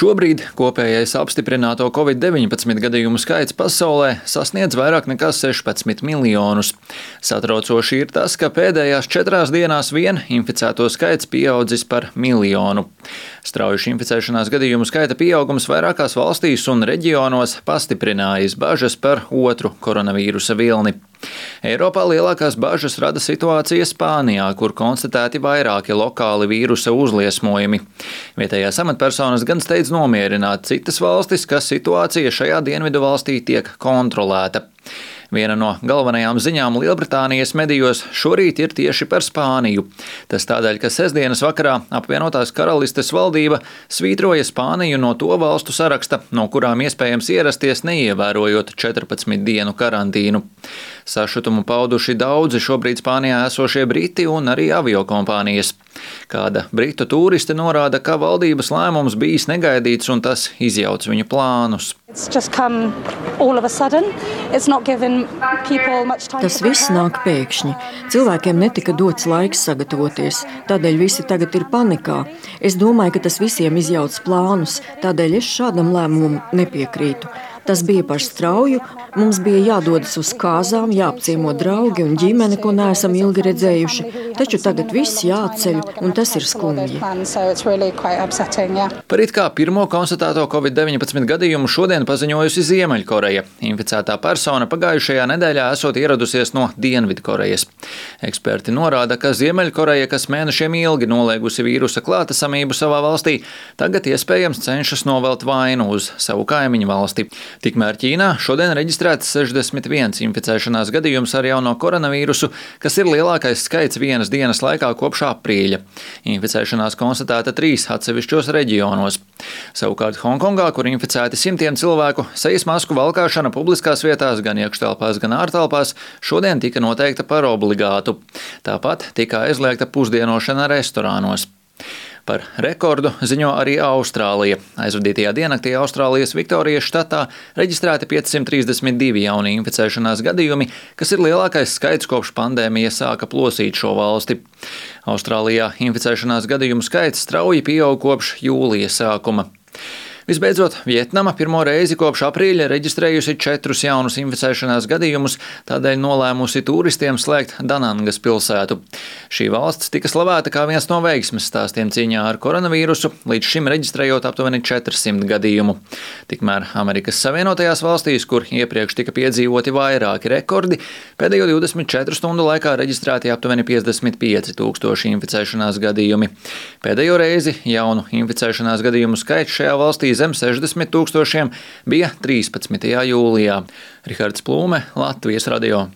Šobrīd kopējais apstiprināto Covid-19 gadījumu skaits pasaulē sasniedz vairāk nekā 16 miljonus. Satraucoši ir tas, ka pēdējās 4 dienās vien inficēto skaits pieaudzis par 1 miljonu. Strauji inficēšanās gadījumu skaita pieaugums vairākās valstīs un reģionos pastiprinājis bažas par otru koronavīrusa vilni. Eiropā lielākās bažas rada situācija Spānijā, kur konstatēti vairāki lokāli vīrusa uzliesmojumi. Vietējās amatpersonas gan steidz nomierināt citas valstis, ka situācija šajā dienvidu valstī tiek kontrolēta. Viena no galvenajām ziņām Lielbritānijas medijos šorīt ir tieši par Spāniju. Tas tādēļ, ka sestdienas vakarā apvienotās karalistes valdība svītroja Spāniju no to valstu saraksta, no kurām iespējams ierasties neievērojot 14 dienu karantīnu. Sašutumu pauduši daudzi šobrīd Spānijā esošie briti un arī aviokompānijas. Kāda britu tūriste norāda, ka valdības lēmums bijis negaidīts un tas izjauc viņu plānus. Tas viss nāk pēkšņi. Cilvēkiem netika dots laiks sagatavoties, tādēļ visi tagad ir panikā. Es domāju, ka tas visiem izjauc plānus, tādēļ es šādam lēmumam nepiekrītu. Tas bija par strauju, mums bija jādodas uz kāzām, jāapciemo draugi un ģimene, ko neesam ilgi redzējuši, taču tagad viss jāatceļ, un tas ir skumji. Par it kā pirmo konstatēto Covid-19 gadījumu šodien paziņojusi Ziemeļkoreja. Inficētā persona pagājušajā nedēļā esot ieradusies no Dienvidkorejas. Eksperti norāda, ka Ziemeļkoreja, kas mēnešiem ilgi noliegusi vīrusa klātesamību savā valstī, tagad iespējams cenšas novelt vainu uz savu kaimiņu valsti. Tikmēr Ķīnā šodien reģistrēts 61 inficēšanās gadījums ar jauno koronavīrusu, kas ir lielākais skaits vienas dienas laikā kopš aprīļa. Inficēšanās konstatēta 3 atsevišķos reģionos. Savukārt Honkongā, kur inficēti simtiem cilvēku, sejas masku valkāšana publiskās vietās, gan iekštelpās, gan ārtelpās, šodien tika noteikta par obligātu. Tāpat tika aizliegta pusdienošana restorānos. Par rekordu ziņo arī Austrālija. Aizvadītajā diennaktī Austrālijas Viktorijas štatā reģistrēti 532 jauni inficēšanās gadījumi, kas ir lielākais skaits kopš pandēmija sāka plosīt šo valsti. Austrālijā inficēšanās gadījumu skaits strauji pieaug kopš jūlija sākuma. Visbeidzot, Vietnama pirmo reizi kopš aprīļa reģistrējusi 4 jaunus inficēšanās gadījumus, tādēļ nolēmusi turistiem slēgt Danangas pilsētu. Šī valsts tika slavēta kā viens no veiksmes stāstiem cīņā ar koronavīrusu, līdz šim reģistrējot aptuveni 400 gadījumu. Tikmēr Amerikas Savienotajās valstīs, kur iepriekš tika piedzīvoti vairāki rekordi, pēdējo 24 stundu laikā reģistrēti aptuveni 55 000 inficēšanās gadījumi. Pēdējo reizi jaunu inficēšanās gadījumu skaits šajā valstī zem 60 000 bija 13. jūlijā. Rihards Plūme, Latvijas radio.